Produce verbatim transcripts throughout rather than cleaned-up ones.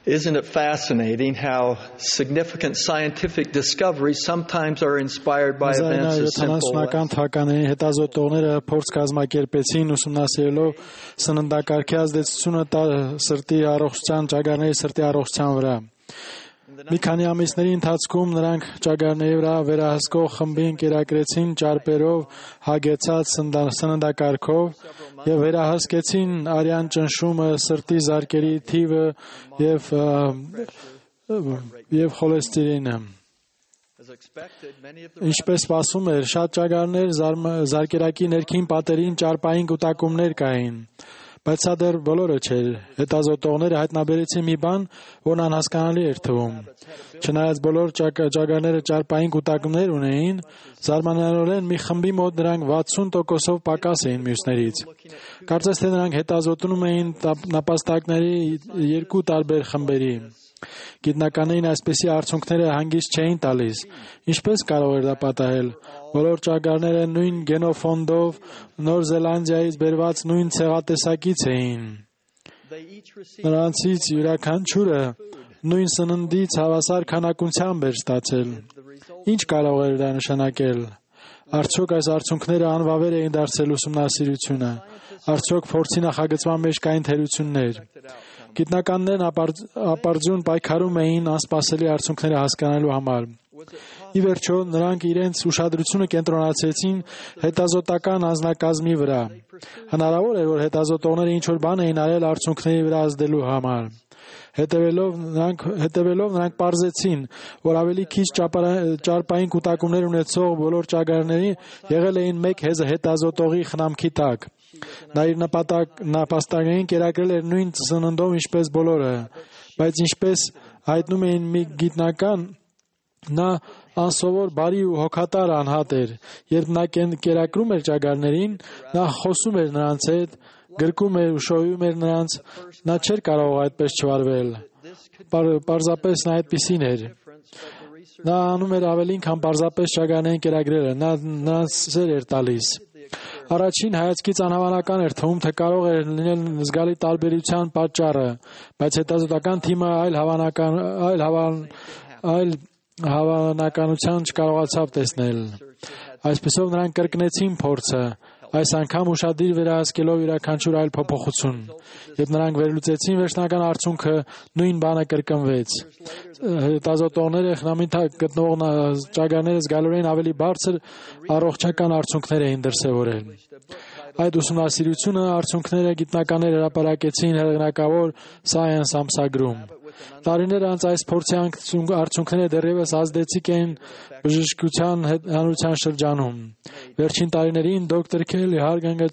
Isn't it fascinating how significant scientific discoveries sometimes are inspired by events as simple as թվականների հետազոտողները փորձ կազմակերպեցին ուսումնասիրելով սննդակարգի ազդեցությունը սրտի առողջության, ճագարների սրտի առողջության վրա։ Մի քանի ամիսների ընթացքում նրանք ճագարների վրա վերահսկող խմբին կերակրեցին ճարպերով հագեցած սննդակարգով եւ վերահսկեցին արյան ճնշումը, սրտի զարկերի թիվը եւ եւ խոլեստերինը։ Ինչպես սպասվում էր, շատ ճագարներ զարկերակի ներքին պատերին ճարպային կուտակումներ կային։ Բայց սա դեռ բոլորը չէր։ Հետազոտողները հայտնաբերեցին մի բան, որն անհասկանալի էր թվում։ Չնայած բոլոր ճագարները ճարպային կուտակումներ ունեին, զարմանալիորեն մի խմբի մոտ նրանք վաթսուն տոկոսով պակաս էին մյուսներից։ Կարծես թե նրանք հետազոտում էին նապաստակների երկու տարբեր խմբերի։ Գիտնականներին այսպիսի արդյունքները հանգիստ չէին տալիս։ Ինչպես կարող էր դա պատահել։ Բոլոր ճագարները նույն գենոֆոնդով Նոր Զելանդիայից բերված նույն ցեղատեսակից էին։ Նրանցից յուրաքանչյուրը նույն սննդից հավասար քանակությամբ էր ստացել։ Ինչ կարող էր դա նշանակել։ Արդյոք այս արդյունքները անվավեր էին դարձել ուսումնասիրությունը։ Արդյոք փորձի նախագծման մեջ կային թերություններ։ Գիտնականներն ապարդյուն պայքարում էին անսպասելի արդյունքները հասկանալու համար։ Ի վերջո, նրանք իրենց ուշադրությունը կենտրոնացրեցին հետազոտական անձնակազմի վրա։ Հնարավոր է, որ հետազոտողները ինչ-որ բան էին արել արդյունքների վրա ազդելու համար։ Հետևելով նրանք հետևելով նրանք պարզեցին, որ ավելի քիչ ճարպային կուտակումներ ունեցող բոլոր ճագարների եղել էին մեկ հետազոտողի խնամքի տակ։ Նա իր նապաստակներին կերակրել էր նույն սննդով ինչպես բոլորը, բայց ինչպես հայտնում էին մի գիտնական, նա անսովոր բարի ու հոգատար անհատ էր։ Երբ նա կերակրում էր ճագարներին, նա խոսում էր նրանց հետ, գրկում էր ու շոյում էր նրանց, նա չէր կարող այդպես չվարվել։ Պարզապես նա այդպիսին էր։ Նա անում էր ավելին, քան պարզապես ճագարներին կերակրելը, նա նրանց սեր էր տալիս։ Առաջին հայացքից անհավանական էր թվում, թե կարող էր լինել զգալի տարբերության պատճառը, բայց հետազոտական թիմը այլ հավանական այլ հավան այլ հավանականություն չկարողացավ տեսնել։ Այսպեսով նրանք կրկնեցին փորձը, այս անգամ ուշադիր վերահսկելով յուրաքանչյուր այլ փոփոխություն։ Երբ նրանք վերլուծեցին վերջնական արդյունքը, նույն բանը կրկնվեց։ Հետազոտողները խնամին տակ գտնվող ճագարները զգալիորեն ավելի բարձր առողջական արդյունքներ էին դրսևորել։ Այդ ուսումնասիրությունը արդյունքները գիտնականներ հրապարակեցին հեղինակավոր Science ամսագրում։ Տարիներ անց այս փորձի արդյունքները դեռևս ազդեցիկ են բժշկության հանրության շրջանում։ Վերջին տարիներին դոկտոր Քելի Հարգանգը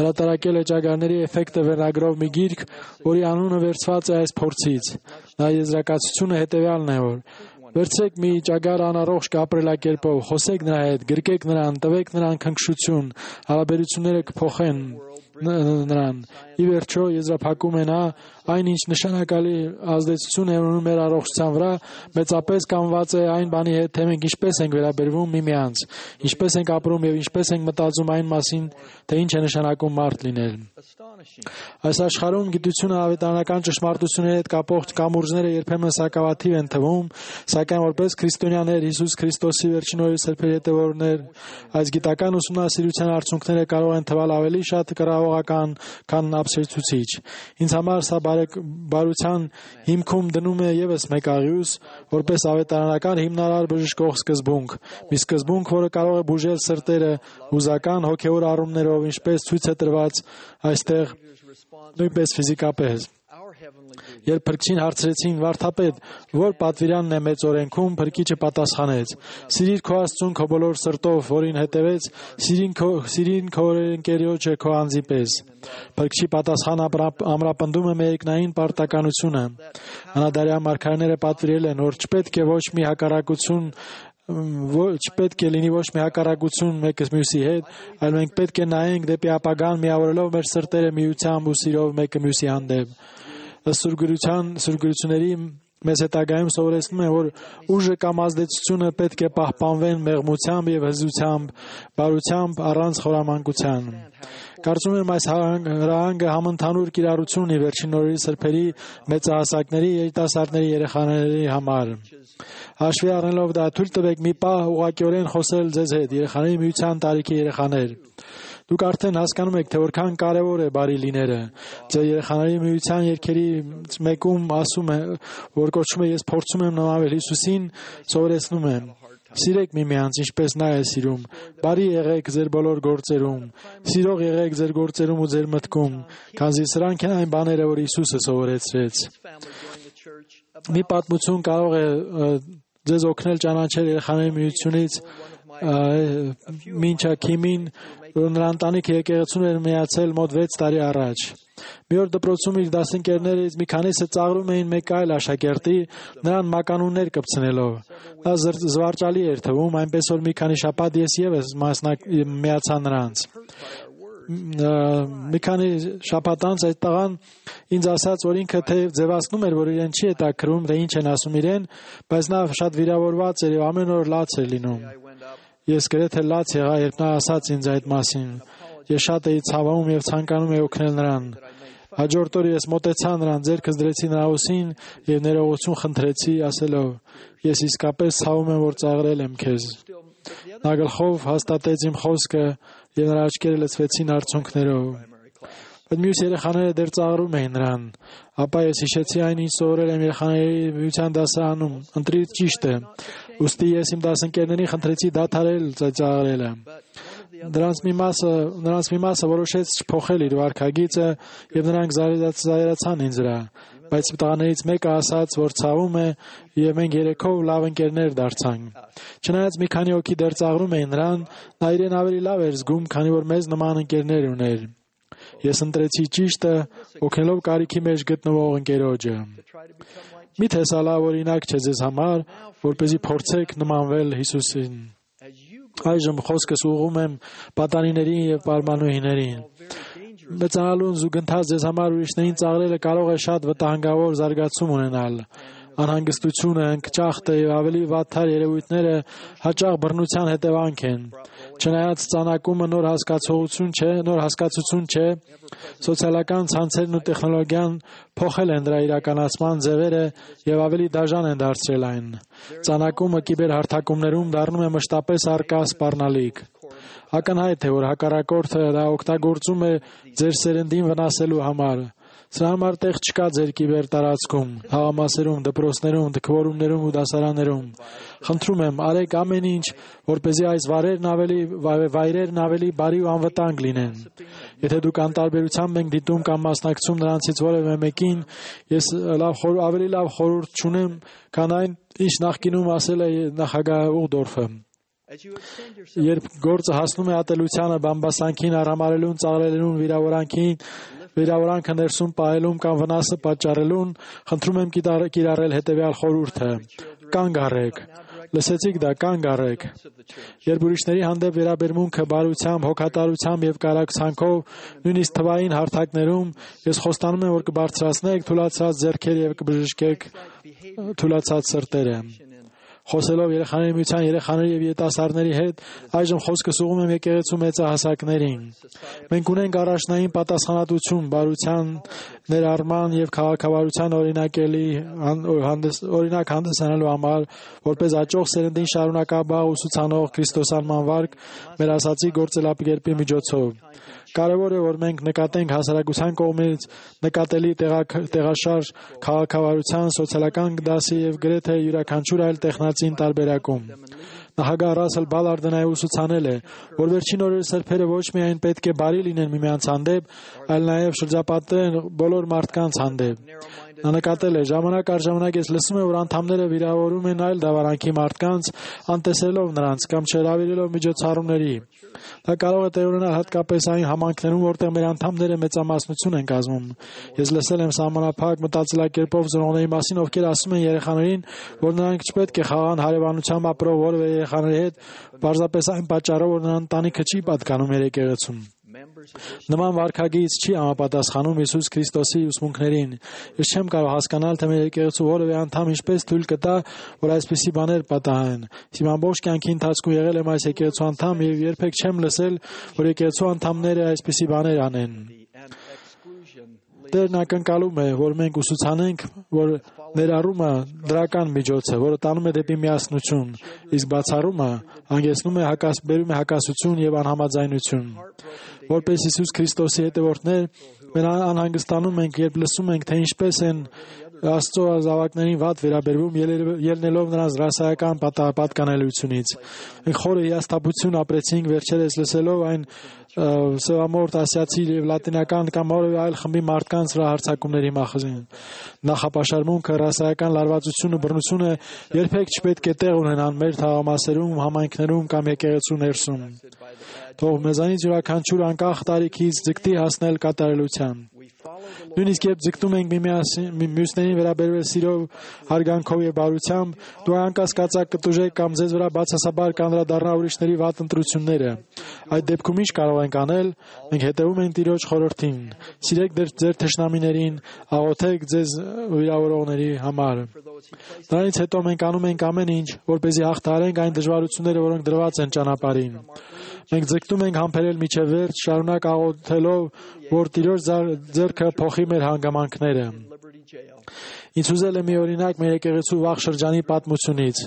հրատարակել է ճագարների էֆեկտը վերնագրով մի գիրք, որի անունը վերցված է այս փորձից։ Նա եզրակացությունը հետևյալն է, որ վերցրեք մի ճագար անառողջ կապրելակերպով, խոսեք նրա հետ, գրկեք նրան, տվեք նրան քնքշություն, հարաբերությունները կփոխեն նրան։ Ի վերջո եզրափակում է նա, այն ինչ նշանակալի ազդեցություն է ունենում մեր առողջության վրա, մեծապես կապված է այն բանի հետ, թե մենք ինչպես ենք վերաբերվում միմյանց, ինչպես ենք ապրում եւ ինչպես ենք մտածում այն մասին, թե ինչ է նշանակում մարդ լինել։ Այս աշխարհում գիտությունը ավետարանական ճշմարտությունների հետ կապող կամուրջները երբեմն սակավաթիվ են թվում, սակայն որպես քրիստոնյաներ Հիսուս Քրիստոսի վերջին օրերի սրբերի հետևորդներ, այս գիտական ուսումնասիրության արդյունքները կարող են թվալ ավելի շատ կռահողական, քան ապշեցուցիչ։ Ինձ համար սա բարության հիմքում դնում է եւս մեկ աղյուս, որպես ավետարանական հիմնարար բժշկող սկզբունք, մի սկզբունք, որը կարող է բուժել սրտերը հուզական հոգեոր առումներով, ինչպես ցույց է տրված այստեղ, նույնպես ֆիզիկապես։ Երբ փրկչին հարցրեցին. «Վարդապետ, որ պատվիրանն է մեծ օրենքում», փրկիչը պատասխանեց. «Սիրիր քո Աստծուն քո բոլոր սրտով, որին հետևեց, սիրին քո սիրին քո ընկերոջը քո անձի պես»։ Փրկչի պատասխանը ամրապնդում է մերկնային պարտականությունը։ Հնադարյան մարգարեները պատվիրել են, որ չպետք է ոչ մի հակառակություն ոչ պետք է լինի ոչ մի հակառակություն մեկը մյուսի հետ, այլ մենք պետք է նայենք դեպի ապագան, միավորելով մեր սրտերը միությամբ ու սիրով մեկը մյուսի հանդեպ։ Ըստ սուրգրության սուրգրությունների մեզ հետագայում սովորեցնում են, որ ուժը կամ ազդեցությունը պետք է պահպանվեն մեղմությամբ եւ հզությամբ, բարությամբ, առանց խորամանկության։ Կարծում եմ այս հրահանգը համընդհանուր կիրառություն ունի վերջին օրերի սրբերի մեծահասակների, երիտասարդների, երեխաների համար։ Հաշվի առնելով դա, թույլ տվեք մի պահ ուղղակիորեն խոսել ձեզ հետ, երեխաների միության տարիքի երեխաներ։ Դուք արդեն հասկանում եք, թե որքան կարևոր է բարի լինելը։ Ձեր երեխաների միության երգերի մեկում ասում է, որ կոչվում է «Ես փորձում եմ նմանվել Հիսուսին», սովորեցնում եմ. Սիրեք միմյանց, ինչպես նա է սիրում։ Բարի եղեք ձեր բոլոր գործերում։ Սիրող եղեք ձեր գործերում ու ձեր մտքում, քանզի սրանք են այն բաները, որ Հիսուսը սովորեցրեց։ Մի պատմություն կարող է ձեզ օգնել ճանաչել երեխաների միությունից մինչ Քիմին, որ նրա ընտանիքը եկեղեցուն էր միացել մոտ վեց տարի առաջ։ Մի օր դպրոցում իր դասընկերներից մի քանիսը ծաղրում էին մեկ այլ աշակերտի, նրան մականուններ կպցնելով։ Նա զվարճալի էր թվում, այնպես որ մի քանի շաբաթ ես ևս միացա նրանց։ Մի քանի շաբաթ անց այդ տղան ինձ ասաց, որ ինքը թեև ձևացնում էր, որ իրեն չի հետաքրում, թե ինչ են ասում իրեն, բայց նա շատ վիրավորված էր եւ ամեն օր լաց էր լինում։ Ես գրեթե լաց եղա, երբ նա ասաց ինձ այդ մասին։ Ես շատ էի ցավում եւ ցանկանում էի օգնել նրան։ Հաջորդ օրը ես մոտեցա նրան, ձեռքս դրեցի նրա ուսին եւ ներողություն խնդրեցի, ասելով. Ես իսկապես ցավում եմ, որ ծաղրել եմ քեզ։ Նա գլխով հաստատեց իմ խոսքը եւ նրա աչքերը լցվեցին արցունքներով։ Բայց մյուս երեխաները դեռ ծաղրում էին նրան։ Ապա ես հիշեցի այն, ինչ սովորել եմ երեխաների միության դասարանում, ընտրի ճիշտը։ Ուստի ես իմ դասընկերներին խնդրեցի դադարել ծաղրելը։ Նրանց մի մասը, նրանց մի մասը որոշեց չփոխել իր վարքագիծը եւ նրանք զայրացան ինձ վրա։ Բայց տղաներից մեկը ասաց, որ ցավում է եւ մենք երեքով լավ ընկերներ դարձանք։ Չնայած մի քանի հոգի դեռ ծաղրում էին նրան, նա իրեն ավելի լավ էր զգում, քանի որ մեզ նման ընկերներ ուներ։ Ես ընտրեցի ճիշտը, օգնելով կարիքի մեջ գտնվող ընկերոջը։ Միթե սա լավ օրինակ չէ ձեզ համար, որպեսզի փորձեք նմանվել Հիսուսին։ Այժմ խոսքս ուղղում եմ պատանիներին եւ պարմանուհիներին։ Մեծանալուն զուգընթաց ձեզ համար ուրիշներին ծաղրելը կարող է շատ վտանգավոր զարգացում ունենալ։ Անհանգստությունը, ընկճախտը եւ ավելի վատթար երևույթները հաճախ բռնության հետևանք են։ Չնայած ծանակումը նոր հասկացողություն չէ, նոր հասկացություն չէ, սոցիալական ցանցերն ու տեխնոլոգիան փոխել են դրա իրականացման ձևերը եւ ավելի դաժան են դարձրել այն։ Ծանակումը կիբերհարթակումներում դառնում է մշտապես առկա սպառնալիք։ Ակնհայտ է, որ հակառակորդը դա օգտագործում է ձեր սերնդին վնասելու համար։ Սրա համար տեղ չկա ձեր կիբեր տարածքում, հաղամասերում, դպրոցներում, դքվորումներում ու դասարաններում։ Խնդրում եմ, արեք ամեն ինչ, որպեսզի այս վայրերն ավելի վայրերն ավելի բարի ու անվտանգ լինեն։ Եթե դուք անտարբերությամբ եք դիտում կամ մասնակցում նրանցից որևէ մեկին, ես լավ ավելի լավ խորհուրդ չունեմ, քան այն, ինչ նախկինում ասել է նախագահ Ուղդորֆը։ Երբ գործը հասնում է ատելությանը, բամբասանքին, արհամարելուն, ծաղրելուն, վիրավորանքին, վիրավորանքը ներսում պահելուն կամ վնասը պատճառելուն, խնդրում եմ կիրառել հետևյալ խորհուրդը. կանգ առեք։ Լսեցիք դա, կանգ առեք։ Երբ ուրիշների հանդեպ վերաբերմունքը բարությամբ, հոգատարությամբ եւ կարակցանքով, նույնիսկ թվային հարթակներում, ես խոստանում եմ, որ կբարձրացնեք թուլացած ձեռքերը եւ կբժշկեք թուլացած սրտերը։ Խոսելով երեխաների միության երեխաների եւ յետասարների հետ, այժմ խոսքս ուղղում եմ եկեղեցու մեծահասակներին։ Մենք ունենք առաջնային պատասխանատվություն բարության ներառման եւ քաղաքավարության օրինակելի օրինակ հանդիսանալու համար, որպես աճող սերնդին շարունակաբար ուսուցանող քրիստոսանման վարկ մեր ասացի գործելակերպի միջոցով։ Կարևոր է, որ մենք նկատենք հասարակության կողմից նկատելի տեղաշարժ քաղաքավարության, սոցիալական դասի եւ գրեթե յուրաքանչյուր այլ տեխնացին տարբերակում։ Նախագահ Ռասել Բալարդը ուսուցանել է, որ վերջին օրերի սրբերը ոչ միայն պետք է բարի լինեն միմյանց հանդեպ, այլ նաև շրջապատեն բոլոր մարդկանց հանդեպ։ Նա նկատել է, ժամանակ առ ժամանակ ես լսում եմ, որ անդամները վիրավորում են այլ դավարանքի մարդկանց, անտեսելով նրանց կամ չհրավիրելով միջոցառումների։ Դա կարող է տեղ ունենալ հատկապես այն համայնքներում, որտեղ մեր անդամները մեծամասնություն են կազմում։ Ես լսել եմ սահմանափակ մտածելակերպով ծնողների մասին, ովքեր ասում են երեխաներին, որ նրանք չպետք է խաղան հարևանությամբ ապրող որևէ երեխաների հետ, պարզապես այն պատճառով, որ նրան ընտանիքը չի պատկանում եկեղեցում։ Նման վարքագիծ չի համապատասխանում Հիսուս Քրիստոսի ուսմունքներին։ Ես չեմ կարող հասկանալ, թե մեր եկեղեցու որևէ անդամ ինչպես թույլ կտա, որ այսպիսի բաներ պատահեն։ Իմ ամբողջ կյանքի ընթացքում եղել եմ այս եկեղեցու անդամ եւ երբեք չեմ լսել, որ եկեղեցու անդամները այսպիսի բաներ անեն։ Տերն ակնկալում է, որ մենք ուսուցանենք, որ ներառումը դրական միջոց է, որը տանում է դեպի միասնություն, իսկ բացառումը հանգեցնում է հակաս, բերում է հակասություն եւ անհամաձայնություն։ Որպես Հիսուս Քրիստոսի հետևորդներ, մենք անհանգստանում ենք, երբ լսում ենք, թե ինչպես են Աստծո զավակներին վատ վերաբերվում, ելնելով նրանց ռասայական պատկանելությունից։ Մենք խորը հիասթափություն ապրեցինք վերջերս լսելով այն սևամորթ ասիացի եւ լատինական կամ որևէ այլ խմբի մարդկանց վրա հարձակումների մասին։ Նախապաշարմունքը, ռասայական լարվածությունը, բռնությունը երբեք չպետք է տեղ ունենան մեր թաղամասերում, համայնքներում կամ եկեղեցու ներսում։ Թող մեզանից յուրաքանչյուր անկախ տարիքից ձգտի հասնել կատարելության։ Նույնիսկ երբ ձգտում ենք մյուսներին վերաբերվել սիրով, հարգանքով եւ բարությամբ, դու անկասկածակ կտուժեք կամ ձեզ վրա բացասաբար կանդրադառնա ուրիշների վատ ընտրությունները։ Այդ դեպքում ինչ կարող ենք անել։ Մենք հետևում ենք Տիրոջ խորհրդին։ Սիրեք ձեր թշնամիներին, աղոթեք ձեզ վիրավորողների համար։ Դրանից հետո մենք անում ենք ամեն ինչ, որպեսզի հաղթահարենք այն դժվարությունները, որոնք դրված են ճանապարհին։ Մենք ձգտում ենք համբերել միջև վերջ, շարունակ աղոթելով, որ Տիրոջ ձեռքը փոխի մեր հանգամանքները։ Ինձ ուզել է մի օրինակ մեր եկեղեցու վաղ շրջանի պատմությունից։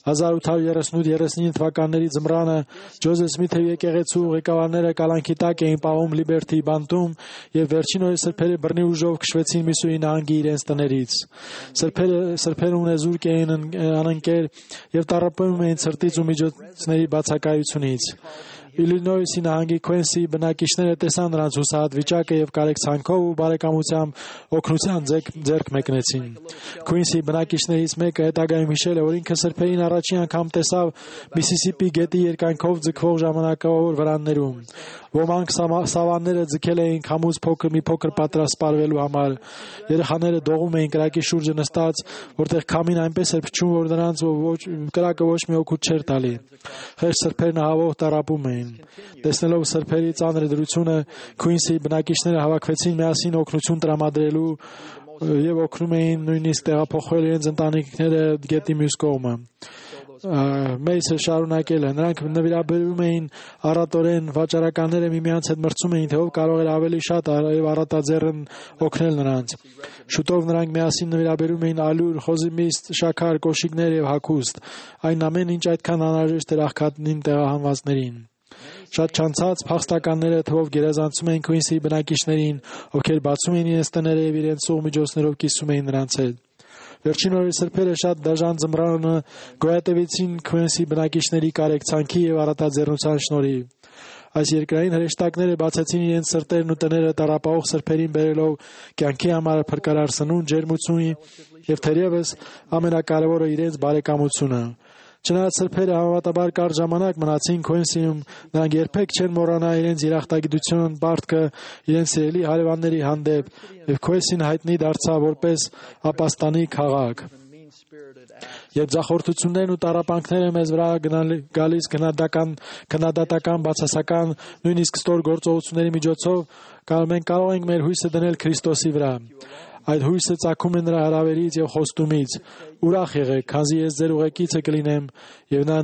հազար ութ հարյուր երեսունութ երեսունինը թվականների ձմռանը Ջոզեֆ Սմիթի եկեղեցու ղեկավարները կալանքի տակ էին պահում Լիբերթի բանտում եւ վերջին օրը սրբերը բռնի ուժով քշվեցին Միսուրի նահանգի իրենց տներից։ Սրբերը սրբերը ունեզուրկ էին անընկեր եւ տառապում էին ցրտից ու միջոցների բացակայությունից։ Իլինոյսի նահանգի Քուենսի բնակիչները տեսան նրանց հուսահատ վիճակը եւ կարեկցանքով ու բարեկամությամբ օգնության ձեռք մեկնեցին։ Քուինսի բնակիչներից մեկը հետագայում հիշել է, որ ինքը սրբերին առաջին անգամ տեսավ Միսիսիպի գետի երկայնքով ձգվող ժամանակավոր վրաններում։ Ոմանք սավանները ձգել էին քամուց փոքր մի փոքր պատրաստվելու համար։ Երեխաները դողում էին կրակի շուրջը նստած, որտեղ քամին այնպես էր փչում, որ նրանց ոչ կրակը ոչ մի օգուտ չէր տալի։ Խեղճ սրբերն ահավոր տառապում էին։ Տեսնելով սրբերի ծանր դրությունը, Քուինսի բնակիչները հավաքվեցին միասին օգնություն տրամադրելու եւ օգնում էին նույնիսկ տեղափոխել իրենց ընտանիքները գետի մյուս կողմը։ Մեյսը շարունակել է. նրանք նվիրաբերվում էին առատորեն, վաճառականները միմյանց հետ մրցում էին, թե ով կարող էր ավելի շատ եւ առատաձեռն օգնել նրանց։ Շուտով նրանք միասին նվիրաբերում էին ալյուր, խոզիմիստ, շաքար, կոշիկներ եւ հագուստ, այն ամեն ինչ այդքան անհրաժեշտ էր աղքատին տեղահանվածներին։ Շատ չանցած փախստականները թվով գերազանցում էին Քուինսի բնակիչներին, ովքեր բացում էին իրենց տները եւ իրենց սուղ միջոցներով կիսում էին նրանց հետ։ Վերջին օրերի սրբերը շատ դաժան ձմռանը գոյատևեցին Քուինսի բնակիչների կարեկցանքի եւ առատաձեռնության շնորհիվ։ Այս երկրային հրեշտակները բացեցին իրենց սրտերն ու տները տառապող սրբերին բերելով կյանքի համար փրկարար սնունդ, ջերմություն եւ թերևս ամենակարևորը իրենց բարեկամությունը։ Չնայած սրբերը համեմատաբար կարճ ժամանակ մնացին Քուինսիում, նրանք երբեք չեն մոռանա իրենց երախտագիտության պարտքը իրենց սիրելի հարևանների հանդեպ, եւ Քուինսին հայտնի դարձավ որպես ապաստանի քաղաք։ Երբ ձախորդություններն ու տառապանքները մեզ վրա գալիս քննադատական, քննադատական, բացասական, նույնիսկ ստոր գործողությունների միջոցով, մենք կարող ենք մեր հույսը դնել Քրիստոսի վրա։ Այդ հույսը ծագում է նրա հրավերից եւ խոստումից։ Ուրախ եղեք, քանզի ես ձեր ուղեկիցը կլինեմ եւ նա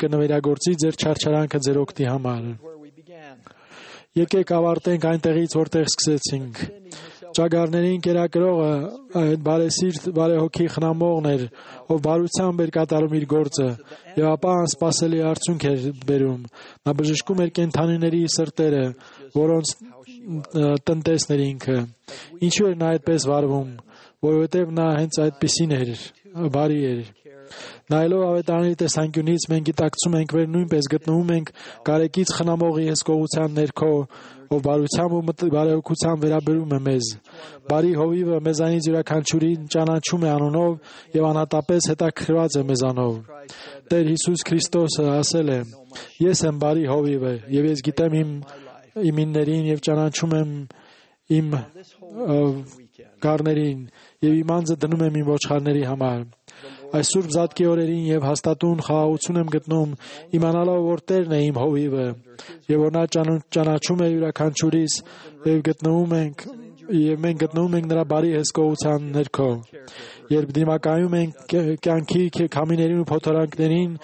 կնվիրագործի ձեր չարչարանքը ձեր օգտի համար։ Եկեք ավարտենք այնտեղից, որտեղ սկսեցինք։ Ճագարներին կերակրողը այդ բարեսիրտ, բարեհոգի խնամողն էր, ով բարությամբ էր կատարում իր գործը եւ ապա անսպասելի արդյունք էր բերում։ Նա բժշկում էր կենդանիների սրտերը, որոնց տնտեսն էր ինքը։ Ինչու էր նա այդպես վարվում, որովհետև նա հենց այդպիսին էր, բարի էր։ Նայելով ավետարանի տեսանկյունից մենք գիտակցում ենք, որ նույնպես գտնվում ենք կարեկից խնամողի հսկողության ներքո, ով բարությամբ ու բարեհոգությամբ վերաբերում է մեզ։ Բարի հովիվը մեզանից յուրաքանչյուրին ճանաչում է անունով եւ անհատապես հետաքրքրված է մեզանով։ Տեր Հիսուս Քրիստոսը ասել է. «Ես եմ բարի հովիվը, եւ ես գիտեմ իմ իմիններին եւ ճանաչում եմ իմ գառներին եւ իմ անձը դնում եմ իմ ոչխարների համար»։ Այս սուրբ զատկի օրերին եւ հաստատուն խաղաղություն եմ գտնում, իմանալով, որ Տերն է իմ հովիվը, եւ որ նա ճանաչում է յուրաքանչյուրիս եւ գտնվում ենք եւ մենք գտնվում ենք նրա բարի հսկողության ներքո։ Երբ դիմակայում ենք կյանքի քամիներին ու փոթորանքներին,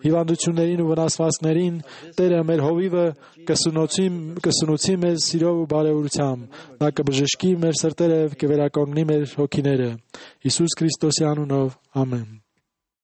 հիվանդություններին ու վնասվածքներին, Տերը մեր հովիվը կսնուցի կսնուցի մեզ սիրով ու բարեհորությամբ։ Նա կբժշկի մեր սրտերը եւ կվերականգնի մեր հոգիները։ Հիսուս Քրիստոսի անունով, ամեն։